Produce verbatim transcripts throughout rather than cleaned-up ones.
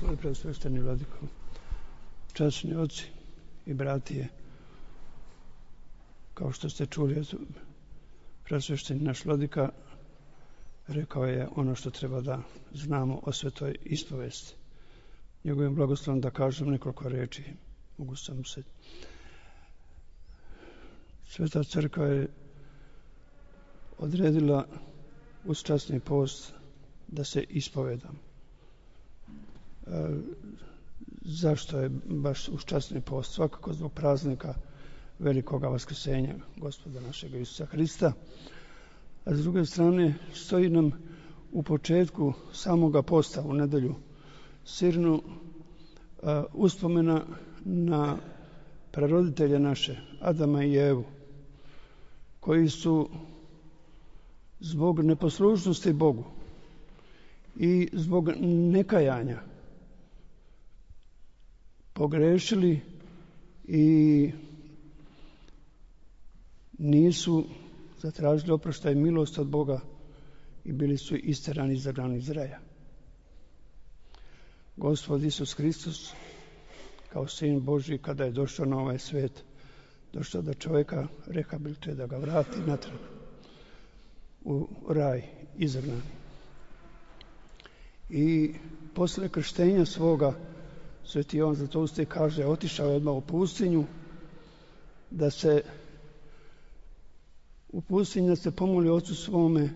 svoj preosvešteni vladiko, časni oci i bratije, kao što ste čuli, preosvešteni naš vladika rekao je ono što treba da znamo o svetoj ispovesti. Njegovim blagoslovom da kažem nekoliko reči. Mogu sam se. Sveta crkva je odredila uz časni post da se ispovedam. E, zašto je baš uz časni post? Svakako zbog praznika velikoga vaskrsenja Gospoda našega Isusa Hrista. A s druge strane stoji nam u početku samoga posta u nedelju Sirnu uh, uspomena na praroditelje naše, Adama i Evu, koji su zbog neposlušnosti Bogu i zbog nekajanja pogrešili i nisu zatražili oproštaj i milost od Boga i bili su isterani iz zagrani iz raja. Gospod Isus Hristos, kao Sin Božji, kada je došao na ovaj svet, došao da čovjeka rehabilituje, da ga vrati natrag u raj izagnani. I posle krštenja svoga, Sveti Jovan Zlatousti kaže, otišao je odmah u pustinju, da se u pustinji da se pomoli Ocu svome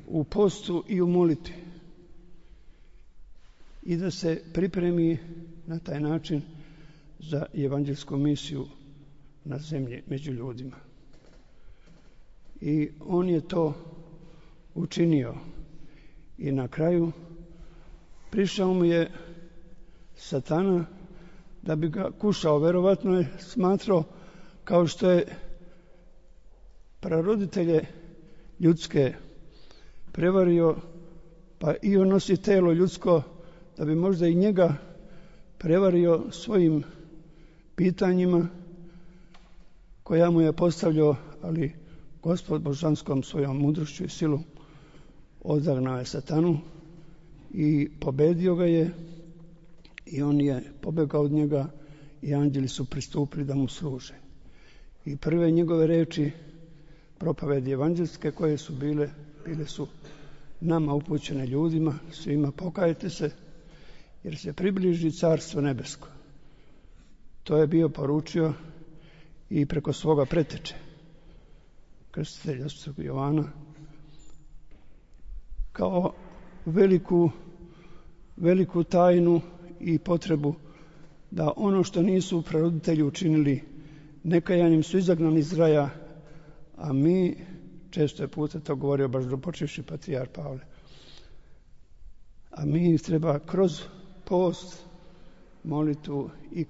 u postu i u molitvi i da se pripremi na taj način za evanđelsku misiju na zemlji među ljudima. I on je to učinio i na kraju prišao mu je Satana da bi ga kušao. Verovatno je smatrao, kao što je praroditelje ljudske prevario, pa i on nosi telo ljudsko, da bi možda i njega prevario svojim pitanjima koja mu je postavljao, ali Gospod božanskom svojom mudrošću i silu odagnao je Satanu i pobedio ga je i on je pobegao od njega i anđeli su pristupili da mu služe. I prve njegove reči propovedi evanđelske koje su bile, bile su nama upućene ljudima, svima pokajte se, jer se približi carstvo nebesko. To je bio poručio i preko svoga preteče, krstitelja Svetog Jovana, kao veliku, veliku tajnu i potrebu da ono što nisu praroditelji učinili nekajanjem su izagnani iz raja, a mi, često je puta to govorio baš dopočevši patrijar Pavle, a mi treba kroz post, molitvu i